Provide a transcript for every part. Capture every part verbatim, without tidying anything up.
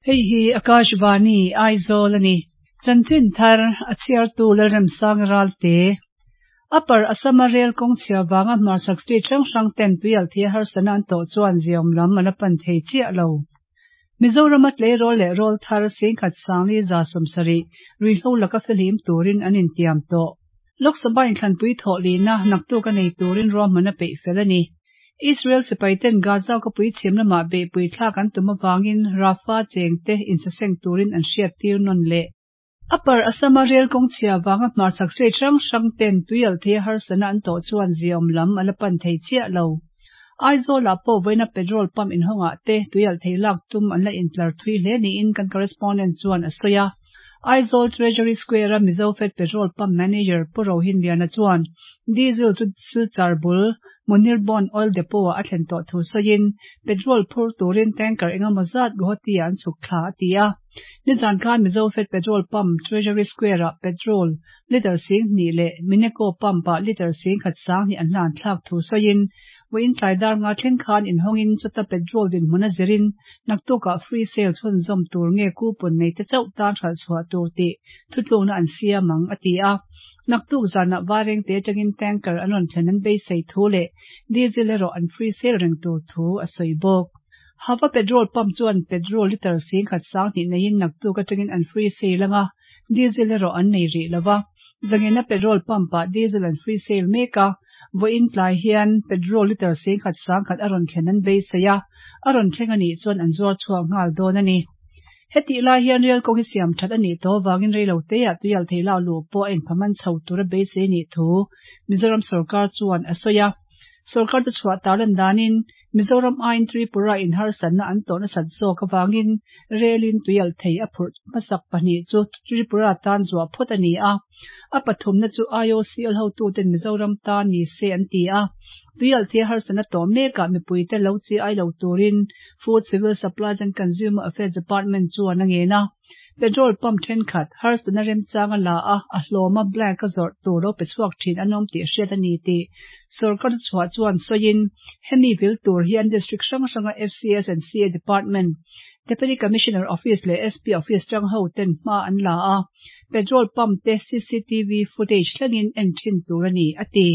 Hei hi Akashvani Aizawl a ni. Chanchin thar a chhiartu Lalremsang Ralte. Upper Assam-a rel kawng chhia vanga hmarchhak state hrang hrang ten tuialthei harsatna an tawh chuan ziawm lam a la pan thei chiah lo. Mizorama tleirawl leh rawl thar singkhat sangli za sawmsarih ruihhlo laka fihlim turin an intiam tawh. Lok Sabha inthlanpui thawh lina naktuk a nei turin ruahman a peih fel a ni. Israel sipai ten Gaza khawpui chhim lamah beihpui thlak an tum avangin Rafah cheng te insaseng turin an hriat tir nawn leh. Upper Assam-a rel kawng chhia vanga hmarchhak state hrang hrang ten tuialthei harsatna an tawh chuan ziawm lam a la pan thei chiah lo. Aizawlah pawh vawiina petrol pump inhawngah te tuialthei lak tum an la intlar thui hle niin kan correspondent chuan a sawi a. Aizawl Treasury Square-a Mizofed Petrol Pump Manager Pu Rohin Liana chuan diesel chu Silchar bul Munir Bond Oil Depot-ah a thlen tawh thu sawiin petrol phur turin tanker engemaw zat Guwahati-ah an chhuk thla a ti a. Nizan khan Mizofed Petrol Pump Treasury Square-ah petrol litre sing hnih leh Mineco Pump-ah litre sing khat sang hnih an hlan thlak thu sawiin vawiin tlai dar nga thleng khan inhawngin chuta petrol dinhmun a zirin naktukah free sale chhunzawm tur nge coupon nei te chauh tan hralh chhuah tur tih thutlukna an siam ang a ti a. Naktuk zanah vareng te atangin tanker an rawn thlen an beisei thu leh diesel erawh an free sale reng tur thu a sawi bawk. Hava petrol pump chuan petrol litre sing khat sang hnih neiin naktuk atangin an free sale anga diesel erawh an nei rih lova. Zangena petrol pump-ah diesel an free sale mek a, vawiin tlai hian petrol litre sing khat sang khat a rawn thlen an beisei a, a rawn thleng anih chuan an zuar chhuak nghal dawn a ni. Hetih lai hian rel kawng hi siam that anih tawh avangin reilo teah tuialthei lak luh pawh a inphaman chho tur a beisei anih thu Mizoram sorkar chuan a sawi a. Sorkar te chhuah tarlan danin Mizoram aiin Tripura in harsatna an tawh nasat zawk avangin relin tuialthei a phurh hmasak pahnih chu Tripura tan zuah phawt a ni a. A pathumna chu I O C L hotuten Mizoram tan ni se an ti a. Tuialthei harsatna tawh mekah mipuite lo chi ai lo turin Food, Civil Supplies and Consumer Affairs Department chuan a ngen a. Petrol pump thenkhat harsatna remchang a la a, a hlawma blank a zawrh tur lo pe chhuak thin an awm tih hriat a ni tih sorkar chhuah chuan sawiin hemi vil tur hian district hrang hranga F C S and C A Department, Deputy Commissioner Office leh S P Office tang ho ten hma an la a, petrol pump te C C T V footage thlengin en thin tur a ni a ti.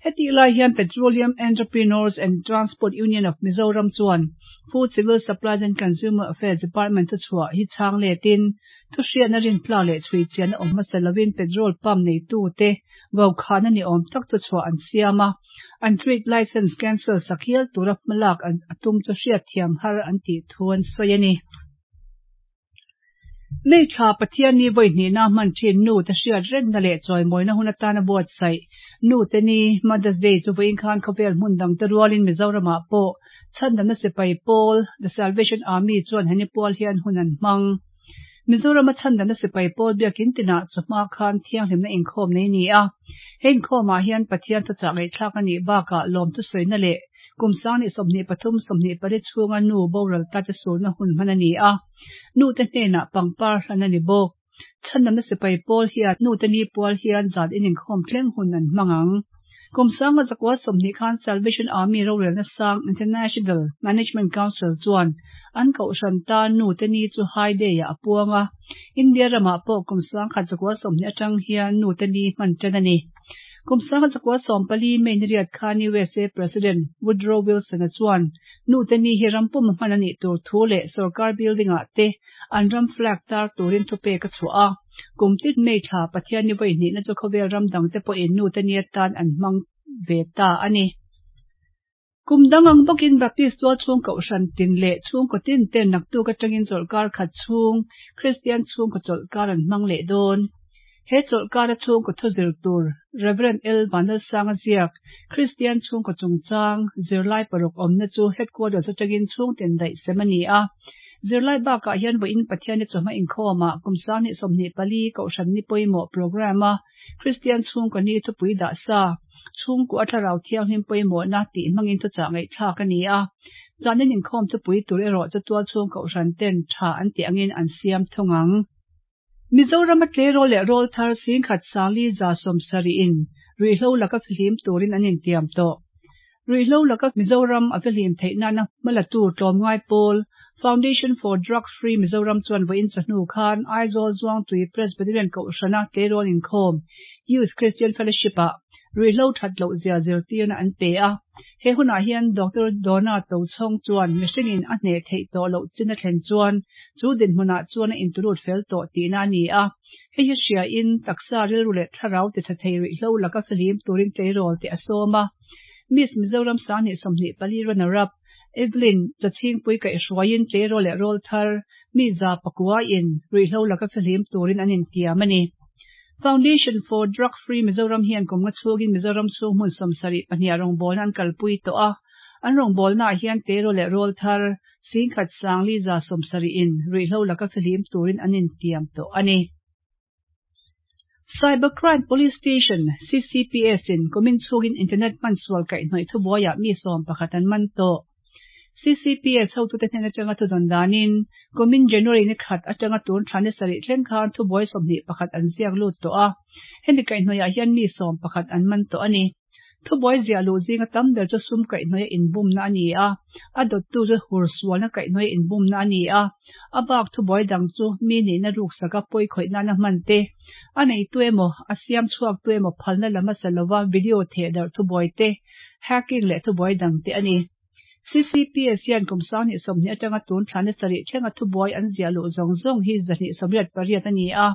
Hetih lai hian Petroleum Entrepreneurs and Transport Union of Mizoram chuan Food, Civil Supplies and Consumer Affairs Department chu chhuah hi chhang letin thu hriatna rin tlak leh chhui chian a awm hmasa lovin petrol pump nei tu te vaukhana ni awm tak chu chhuah an siam a, an trade license cancel sak hial tura hmalak an atum chu hriat thiam har an tih thu an sawi a ni. May thla Pathian ni vawi hnihna hman thin nu te hriat rengna leh chawimawina hun atana buatsaih Nu te ni Mother's Day chu vawiin khan khawvel hmun dang te rualin Mizoramah pawh Chhandamna Sipai Pawl The Salvation Army chuan heni pual hian hun an hmang. Mizorama Chhandamna Sipai Pawl biakin tinah chawhma khan thianghlimna inkhawm nei ni a. He inkhawmah hian Pathian thuchah ngaihthlak anih bakah lawm thusawina leh kum sanghnih sawmhnih pathum sawmhnih pali chhunga nu boral ta te sulna hun hman a ni a. Nu te hnenah pangpar hlan a ni bawk. Chhandamna Sipai Pawl hian Nu te ni pual hian zan in inkhawm thleng hun an hmang ang. Kum sanga zakua sawmhnih khan Salvation Army rorelna sang International Management Council chuan an kohhran tan nu te ni chu High Day ah a puang a. India ramah pawh kum sang khat zakua sawmhnih atang hian nu te ni hman tan a ni. Kum sanga zakua sawm pali May ni riat khan U S A President Woodrow Wilson a chuan nu te ni hi rampum hman anih tur thu leh sarkar building ah te an ram flag tar turin thupek a chhuah a. Kum tin May thla Pathian ni vawi hnihna chu khawvel ram dang te pawhin nu te ni atan an hmang ve ta a ni. Kum dang ang bawkin Baptist tual chhung kohhran tin leh chhungkaw tin ten naktuk atangin chawlhkar khat chhung Kristian chhungkaw chawlhkar an hmang leh dawn. He chawlhkar a chhungkaw thu zir tur Reverend L Vanlalsanga ziak Kristian chhungkaw chungchang zirlai paruk awmna chu headquarters atangin chhungten daih sem a ni a. Zirlai bakah hian vawiin Pathian ni chawhma inkhawmah kum sanghnih sawmhnih pali kohhran ni pawimawh program a Kristian chhungkaw ni thupui dah sa chhungkaw a thlarau thianghlim pawimawhna tih hmangin thuchah ngaihthlak a ni a. Zanin inkhawm thupui tur erawh chu tual chhung kohhran ten tha an tih angin an siam thung ang. Mizoram a tleirawl leh rawl thar singkhat sangli za sawmsarih in ruihhlo laka fihlim turin an intiam tawh. Ruihhlo laka Mizoram a fihlim theih nana hmalatu tlawmngai pawl Foundation for Drug Free Mizoram chuan vawiin chawhnu khan Aizawl Zuangtui Presbyterian Kohhrana tleirawl inkhawm Youth Christian Fellowship ah ruihhlo that loh zia zirtirna an pe a. He hunah hian Doctor Donna Tochhawng chuan mihringin a hneh theih tawh loh chin a thlen chuan chu dinhmunah chuan a intulut fel tawh tihna a ni a. Hei hi hriain taksa rilru leh thlarau tichhe thei ruihhlo laka fihlim turin tleirawl te a sawm a. Miss Mizoram Sanghnih sawmhnih pali runner-up Evelyn Chachhingpui kaihhruaiin tleirawl leh rawl thar mi za pakuain ruihhlo laka fihlim turin an intiam a ni. Foundation for Drug Free Mizoram hian kum nga chhungin Mizoram chhung hmun sawmsarih pahnih rawngbawlna an kalpui tawh a. An rawngbawlnaah hian tleirawl leh rawl thar singkhat sangli za sawmsarihin ruihhlo laka fihlim turin an intiam tawh a ni. Cybercrime Police Station, C C P S in kumin chhungin internet hmansual kaihhnawih thubuaiah mi sawm pakhat an man tawh. C C P S hotute hnen atanga thudawn danin kumin January ni khat atanga tun thla ni sarih thleng khan thubuai sawmhnih pakhat an ziak lut tawh a. Hemi kaihhnawihah hian mi sawm pakhat an man tawh a ni. Thubuai ziah luh zinga tam ber chu sum kaihhnawih a inbumna a ni a, a dawttu chu hursualna kaihhnawih a inbumna a ni a. A bak thubuai dang chu mi nihna ruksaka pawi khawih nana hman te, a neitu emaw a siam chhuaktu emaw phalna lam hmasa lova video thehdarh thubuai te, hacking leh thubuai dang te a ni. C C P S hian kum sanghnih sawmhnih atanga tun thla ni sarih thlenga thubuai an ziah luh zawng zawng hi zahnih sawmriat pariat a ni a.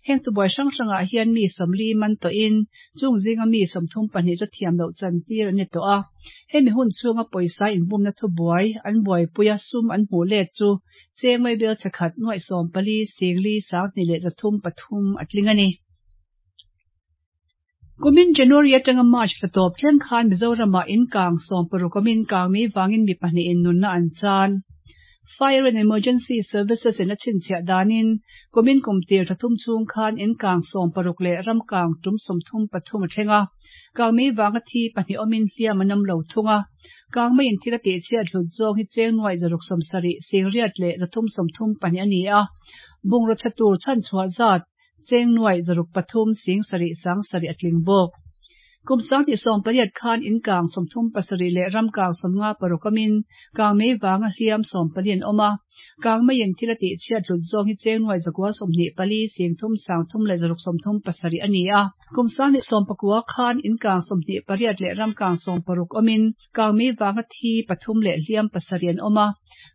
Heng thubuai hrang hrangah hian mi sawmli man tawhin chung zinga mi sawmthum pahnih chu thiam loh chantir an ni tawh a. Hemi hun chhunga pawisa inbumna thubuai an buaipuia sum an hmuh let chu cheng vaibel chakhat nuaih sawm pali singli sanghnih leh zathum pathum a tling a ni. Kumin January atanga March thla tawp thleng khan Mizoramah inkang sawm paruk awmin kangmei vangin mi pahnihin nunna an chan. Fire and Emergency Services in a chhinchhiah danin kumin kum tir thla thum chhung khan inkang sawm paruk leh ramkang tum sawmthum pathum a thleng a. Kangmei vanga thi pahnih awmin hliam an awm lo thung a. Kangmeiin thil a tihchhiat hlut zawng hi cheng nuaih zaruk sawmsarih singriat leh zathum sawmthum pahnih a ni a. Bungraw chhe tur chhanchhuah zat cheng nuaih zaruk pathum sing sarih sang sarih a tling bawk. Kum sanghnih sawm pariat khan inkang sawmthum pasarih leh ramkang sawmnga paruk awmin kangmei vanga hliam sawm pali an awm a. Kangmeiin thil a tihchhiat hlut zawng hi cheng nuaih zakua sawmhnih pali singthum sangthum leh zaruk sawmthum pasarih a ni a. Kum sanghnih sawm pakua khan inkang sawmhnih pariat leh ramkang sawm paruk awmin kangmei vanga thi pathum leh hliam pasarih an awm a.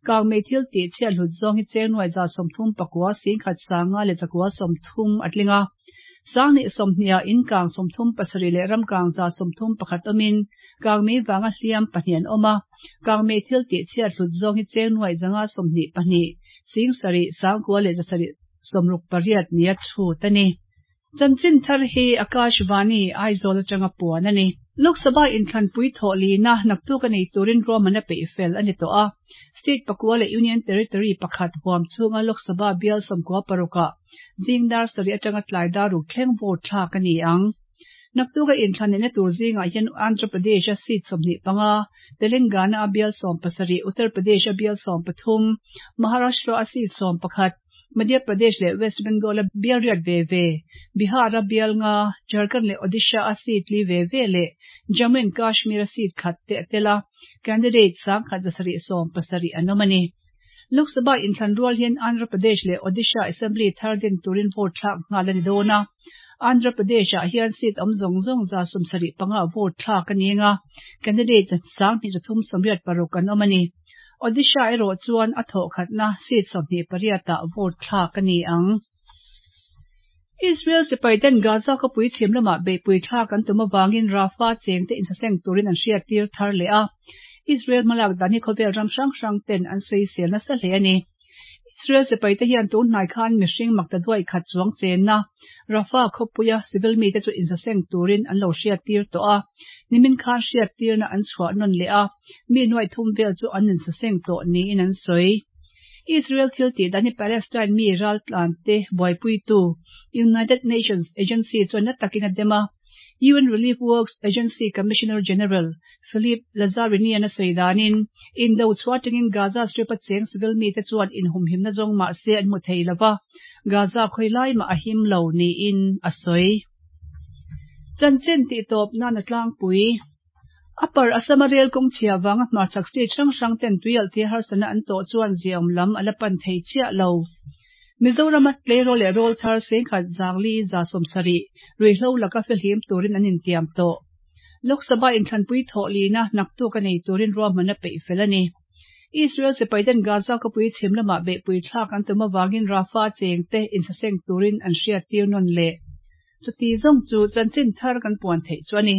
Kangmei thil tihchhiat hlut zawng hi cheng nuaih za sawmthum pakua singkhat sanga leh zakua sawmthum a tling a. Sanghnih sawmhnih ah inkang sawmthum pasarih leh ramkang za sawmthum pakhat awmin kangmei vanga hliam pahnih an awm a. Kangmei thil tihchhiat hlut zawng hi cheng nuaih zanga sawmhnih pahnih sing sarih sangkua leh zasarih sawmruk pariat nia chhut a ni. Chanchin thar hi Akashvani Aizawl atanga puan a ni. Lok Sabha inthlanpui thawh lina naktuk a nei turin ruahman a peih fel a ni tawh a. State pakua leh Union Territory pakhat huam chhunga Lok Sabha bial sawmkua parukah zing dar sarih atanga tlai dar ruk thleng vote thlak a ni ang. Naktuka inthlan neihna tur zingah hian Andhra Pradesh a seat sawmhnih panga, Telangana a bial sawm pasarih, Uttar Pradesh a bial sawm pathum, Maharashtra a seat sawm pakhat, Madhya Pradesh leh West Bengal a bial riat ve ve, Bihar a bial nga, Jharkhand leh Odisha a seat li ve ve leh Jammu and Kashmir a seat khat te a tel a, candidate sangkhat zasarih sawm pasarih an awm a ni. Lok Sabha inthlan rual hian Andhra Pradesh leh Odisha Assembly thar din turin vote thlak nghal a ni dawn a. Andhra Pradesh ah hian seat awm zawng zawng za sawmsarih panga vote thlak a ni anga, candidate sanghnih zathum sawmriat paruk an awm a ni. Odisha erawh chuan a thawh khatna seat sawmhnih pariatah vote thlak a ni ang. Israel sipai ten Gaza khawpui chhim lamah beihpui thlak an tum avangin Rafah chengte insaseng turin an hriattir thar leh a. Israel hmalak dan hi khawvel ram hrang hrang ten an sawisel nasa hle a ni. Israel sipai te hian tun hnai khan mihring makta duai khat chuang chenna Rafah khawpuia civil mite chu insaseng turin an lo hriattir tawh a. Nimin khan hriattirna an chhuah nawn leh a, mi nuaih thum vel chu an insaseng tawh niin an sawi. Israel thil tih dan hi Palestine mi raltlan te buaipuitu United Nations Agency chuan na takin a dem a. U N Relief Works Agency Commissioner General Philippe Lazzarini an a sawi danin indo chhuah atangin Gaza Strip a cheng civil mite chuan inhumhimna zawng mah se an hmu thei lova, Gaza khawi lai mah a him lo niin a sawi. Chanchin tih tawp nan a tlangpui. Upper Assam a rel kawng chhia vanga hmarchhak state hrang hrang ten tuialhthei harsatna an tawh chuan ziaawm lam a la pan thei chiah lo. Mizorama tleirawl leh rawl thar sengkhat zangli za sawmsarih ruihhlo laka fihlim turin an intiam tawh. Lok Sabha inthlanpui thawh lina naktuk a nei turin ruahman a peih fel a ni. Israel sipai ten Gaza khawpui chhim lamah beihpui thlak an tum avangin Rafah cheng te insaseng turin an hriat tir nawn leh. Chuti zawng chu chanchin thar kan puan theih chu a ni.